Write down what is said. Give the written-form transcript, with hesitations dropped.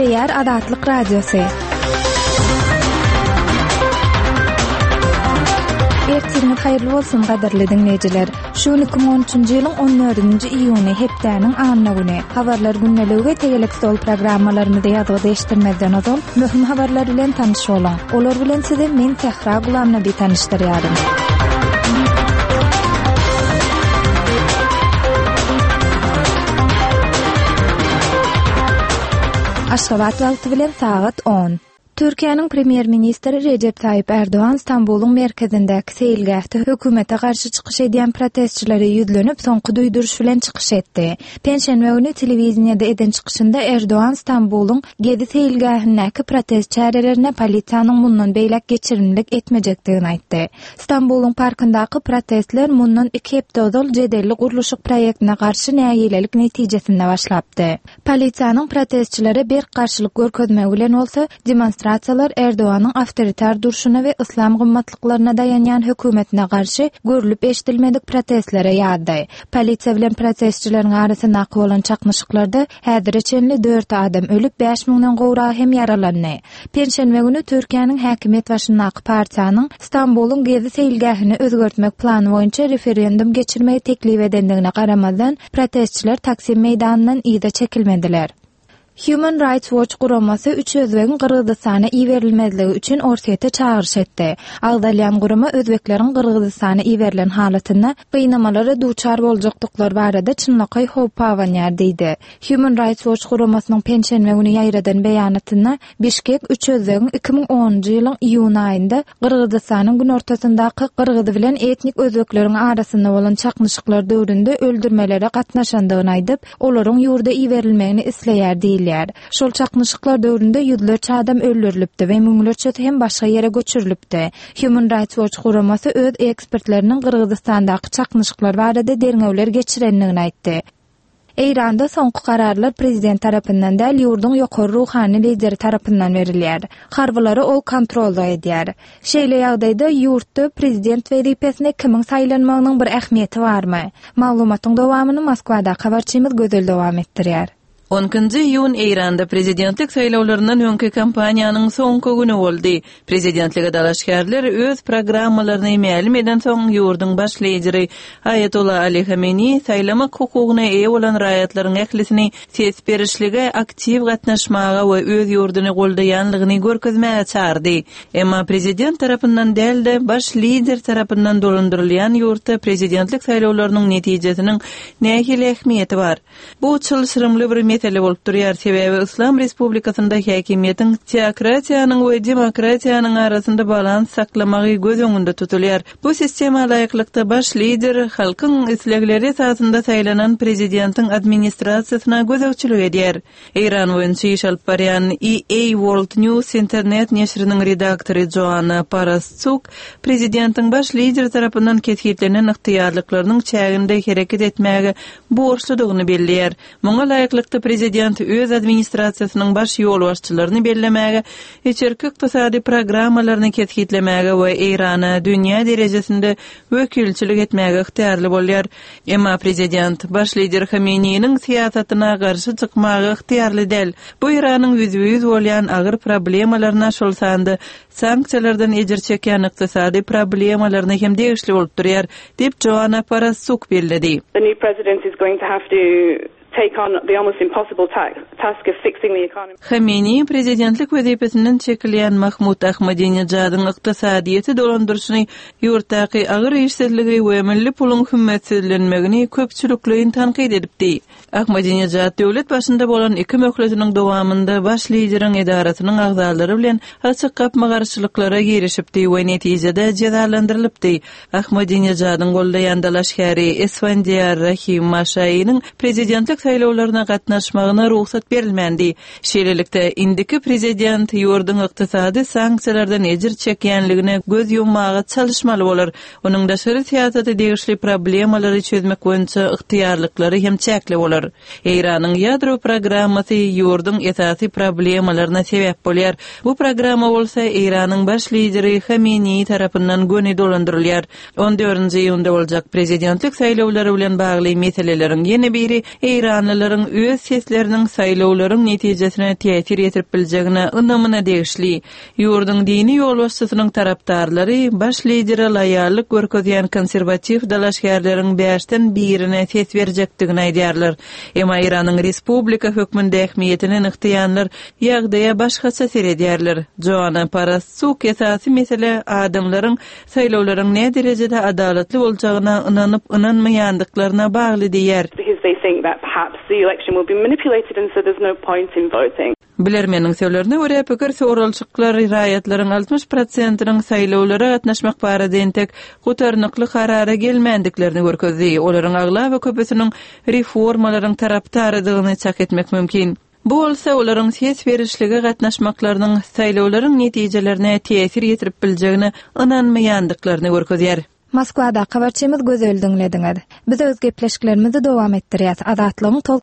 Gepleýär Azatlyk Radiosy. Ertiriňiz haýyrly bolsun, gadyrly diňleýjiler. Şu gün 2013-nji ýylyň 14-nji iýuny, hepdäniň anna güni. Habarlar gündeligi we tegelek stol programmalarymyzy ýazgyda eşitdirmezden ozal, möhüm habarlar bilen tanyş boluň. Olar bilen sizi men Sähra Gulamnabi tanyşdyrýaryn. Aşgabat wagty bilen sagat on. Türkiýäniň Premýer-ministri Rejep Taýyp Ärdogan Stambulyň merkezindäki seýilgähde hökümete garşy çykyş edýän protestçilere ýüzlenip, soňky duýduryş bilen çykyş etdi. Penşenbe güni telewideniýede eden çykyşynda Erdogan Stambulyň Gezi seýilgähindäki protest çärelerine polisiýanyň mundan beýläk geçirimlilik etmejekdigini aýtdy. Stambulyň parkyndaky protestler mundan iki hepde ozal jedelli gurluşyk proýektine garşy nägilelik netijesinde başlapdy. Polisiýanyň protestçilere berk garşylyk görkezmegi bilen bolsa, demonstrasiýalar Erdoganyň awtoritar durşuna we yslam gymmatlyklaryna daýanýan hökümetine garşy görlüp-eşidilmedik protestlere ýazdy. Polisiýa bilen protestçileriň arasyndaky bolan çaknyşyklarda häzire çenli dört adam ölüp, bäş müňden gowragy hem ýaralandy. Penşenbe güni Türkiýäniň häkimiýet başyndaky partiýanyň Stambulyň Gezi seýilgähini özgertmek plany boýunça referendum geçirmegi teklip edendigine garamazdan, protestçiler Taksim meýdanyndan yza çekilmediler. Human Rights Watch guramasy üç özbegiň Gyrgyzystana iberilmezligi üçin Orsýete çagyryş etdi. Agzalýan gurama özbekleriň Gyrgyzystana iberilen halatynda gynamalara duçar boljakdyklary barada çynlakaý howp abanýar diýdi. Human Rights Watch guramasynyň penşenbe güni ýaýradan beýanatynda Bişkek üç özbegiň 2010-njy ýylyň iýun aýynda Gyrgyzystanyň günortasyndaky gyrgyz bilen etnik özbekleriň arasynda bolan çaknyşyklar döwründe öldürmelere gatnaşandygyny aýdyp, olaryň ýurda iberilmegini isleýär diýilýär. Şol çaknyşyklar döwründe ýüzlerçe adam öldürilipdi we müňlerçesi hem başga ýere göçürilipdi. Human Rights Watch guramasy öz ekspertleriniň Gyrgyzystandaky çaknyşyklar barada derňewler geçirendigini aýtdy. Eýranda soňky kararlar prezident tarapyndan däl, ýurduň ýokary ruhany lideri tarapyndan berilýär. Harbylary ol kontrollyk edýär. Şeýle ýagdaýda ýurtda prezident wezipesine kimiň saýlanmagynyň bir ähmiýeti barmy? Maglumatyň dowamyny Moskwadaky habarçymyz Gözel dowam etdirýär. On ikinji iýun Eýranda prezidentlik saýlawlaryndan öňki kampaniýanyň soňky güni boldy. Prezidentlige dalaşgärler öz programmalaryny mälim edensoň, ýurduň baş lideri Aýatolla Ali Hameniý saýlamak hukugyna eýe bolan raýatlaryň ählisini ses berişlige aktiw gatnaşmaga we öz ýurduny goldaýanlygyny görkezmäge çagyrdy. Emma prezident tarapyndan däl-de, baş lider tarapyndan dolandyrylýan ýurtda prezidentlik saýlawlarynyň netijesiniň nähili ähmiýeti bar? Bu çylşyrymly bir mesele bolup durýar, sebäbi Yslam Respublikasynda häkimiýetiň teokratiýanyň we demokratiýanyň arasynda balans saklamagy göz öňünde tutulýar. Bu sistema laýyklykda baş lider halkyň islegleri esasynda saýlanan prezidentiň administrasiýasyna gözegçilik edýär. Eýran boýunça iş alyp barýan EA World News internet neşiriniň redaktory Joanna Parastsuk prezidentiň baş lider tarapyndan kesgitlenen ygtyýarlyklarynyň çäginde hereket etmäge borçludygyny belleýär. Muňa laýyklykda prezident öz administrasiýasynyň baş ýolbaşçylaryny bellemäge, içerki ykdysady programmalaryny kesgitlemäge we Eýrana dünýä derejesinde wekilçilik etmäge ygtyýarly bolýar. Emma prezident baş lider Hameneýiniň syýasatyna garşy çykmaga ygtyýarly däl. Bu Eýranyň ýüzbe-ýüz bolýan agyr problemalaryna, şol sanda sanksiýalardan ejir çekýän ykdysady problemalaryna hem degişli bolup durýar, diýip, Joanna Parasuk belledi. The new president is going to have to take on the almost impossible task of fixing the economy. Hameneýi prezidentlik wezipesinden çekilýän Mahmud Ahmadinejadyň ykdysadyýeti dolandyryşyny, ýurtdaky agyr işsizligi we milli puluň hümmetsizlenmegini köpçülikleýin tankyt edipdi. Ahmadinejad döwlet başynda bolan iki möhletiniň dowamynda baş lideriň edarasynyň agzalary bilen açyk gapma-garşylyklara girişipdi we netijede jezalandyrylypdy. Ahmadinejadyň goldaýan dalaşgäri Esfandiýar Rahim Maşainiň prezidentlik saýlawlaryna gatnaşmagyna rugsat berilmändi. Şeýlelikde, indiki prezident ýurduň ykdysady sanksiýalardan ejir çekýänligine göz ýummaga çalyşmaly bolar. Onuň daşary syýasata degişli problemalary çözmek boýunça ygtyýarlyklary hem çäkli bolar. Eýranyň ýadro programmasy ýurduň esasy problemalaryna sebäp bolýar. Bu programma bolsa Eýranyň baş lideri Hameneýi tarapyndan göni dolandyrylýar. On dördünji iýunda boljak prezidentlik saýlawlary bilen bagly meseleleriň ýene biri eýranlylaryň öz sesleriniň saýlaw. saýlawlaryň netijesine täsir ýetirip biljegine ynamyna degişli. Ýurduň dini ýolbaşçysynyň tarapdarlary baş lidere loýallyk görkezýän konserwatiw dalaşgärleriň bäşden birine ses berjekdigini aýdýarlar. Emma Eýranyň respublika hökmünde ähmiýetini nygtaýanlar ýagdaýa başgaça seredýärler. Joanna Parastsuk esasy mesele adamlaryň saýlawlaryň näderejede adalatly boljagyna ynanyp-ynanmaýandyklaryna bagly diýýär. Because they think that perhaps the election will be manipulated and so there's no point in voting. Bilermeniň sözlerine görä, pikir soralyşyklar raýatlaryň 60 prosentiniň saýlawlara gatnaşmak barada entek gutarnykly karara gelmändiklerini görkezdi. Olaryň aglaba köpüsiniň reformalaryň tarapdarydygyny çak etmek mümkin. Bu bolsa olaryň ses berişlige gatnaşmaklarynyň saýlawlaryň netijelerine täsir ýetirip biljegine ynanmaýandyklaryny görkezýär. Moskwadaky habarçymyz Gözeli diňlediňiz. Biz öz gepleşiklerimizi dowam etdirýäs. Azatlygyň tol.